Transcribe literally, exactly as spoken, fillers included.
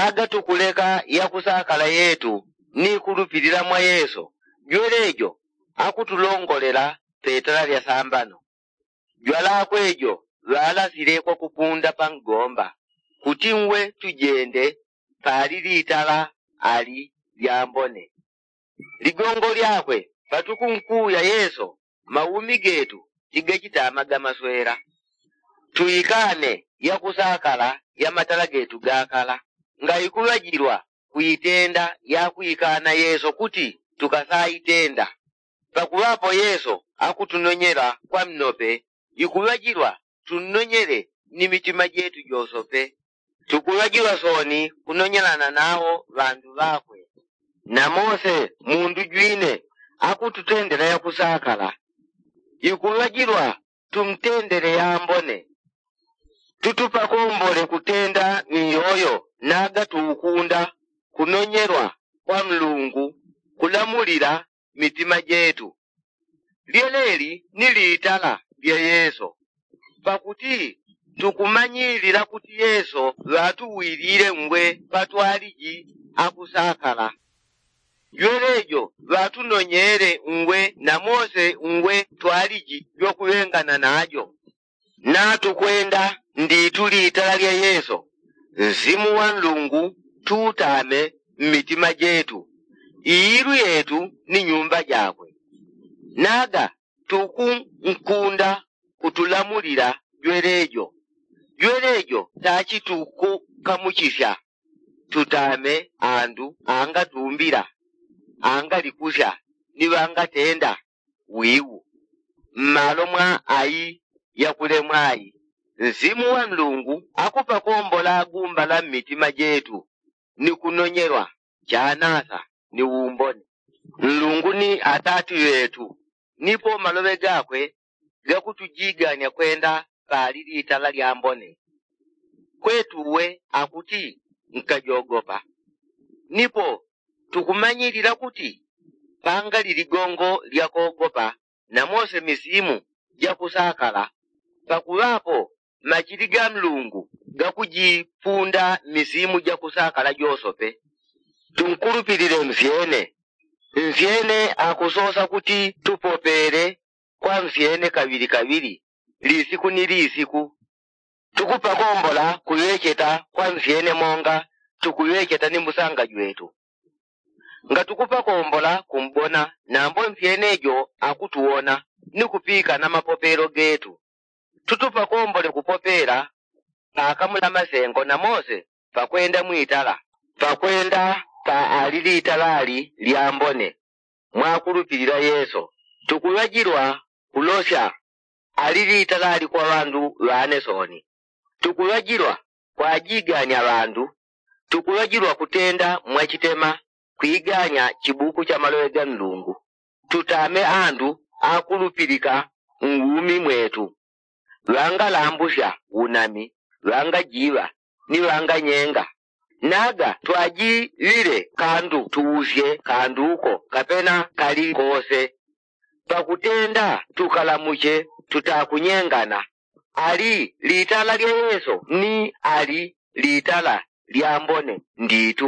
Aga tukuleka yakusakala yetu ni kulupilila mwa yesu jwelejo akutulongolela petala lya sambano. Jwalakwe jo ŵalasilekwa kupunda pa ngomba kuti ngwe tujende pali litala ali lyambone. Ligongo lyakwe patukunkuya yesu maumi getu tigachitamaga maswela. Tuikane yakusakala ya matala getu gakala ngaikuŵajilwa kuitenda yakuikana yesu kuti tukasaitenda. Pakuŵapo yesu akutunonyela kwa mnope ikuŵajilwa tunnonyele ni mitima jetu josope. Tukuŵajilwa soni kunonyelana nawo ŵandu ŵakwe. Na mose mundu jwine akututendela yakusakala ikuŵajilwa tumtendele yambone. Tutupakombole kutenda miyoyo naga tuukunda kunonyelwa kwa nlungu kulamulila mitima jetu. Lyeleli ni litala lya yesu pakuti tukumanyilila kuti yesu ŵatuwilile ngwe patwaliji akusakala. Jwelejo ŵatunonyele ngwe na mose ngwe twaliji jwakuŵengana najo. Natukwenda nditu litala lya yesu nsimu wa nlungu tuutame mmitima jetu iilu yetu ni nyumba jakwe. Naga tukunkunda kutulamulila jwelejo. Jwelejo tachi tukukamuchisya tutame andu angatumbila angalikusya ni ŵangatenda wiwu. Mmalo mwa ayi yakulemwa ayi nsimu wa nlungu akupakombola gumbala mmitima jetu ni kunonyelwa chanasa ni umbone. Nlungu ni atati ŵetu nipo maloŵe gakwe gakutujiganya kwenda pali litala lyambone. Kwetu uwe akuti nkajogopa. Nipo tukumanyilila kuti pangali ligongo lyakogopa na mose misimu jakusakala. Pakuŵapo machili ga nlungu gakujipunda misimu jakusakala josope. Tunkulupilile nsyene nsyene akusosa kuti tupopele kwa nsyene kaŵili kaŵili lisiku ni lisiku. Tukupakombola kuŵecheta kwa nsyene monga tukuŵecheta ni musanga jwetu. Ngatukupakombola kumbona nambo nsyene jo akutuwona ni kupikana mapopelo getu. Tutupakombole kupopela pakamula masengo na mose pakwenda mwitala pakwenda pa ali litalali lyambone. Mwakulupilila yesu tukuŵajilwa kulosya ali litalali kwa ŵandu ŵane soni. Tukuŵajilwa kwajiganya ŵandu. Tukuŵajilwa kutenda mwachitema kwiganya chibuku cha maloŵe ga nlungu. Tutame andu akulupilika mwumi mwetu ŵangalambusya unami ŵangajiŵa ni ŵanganyenga. Naga twajiŵile kandu tuusye kanduko kapena kali kose. Pakutenda tukalamuche tutakunyengana. Ali litala lya yesu ni ali litala lyambone nditu.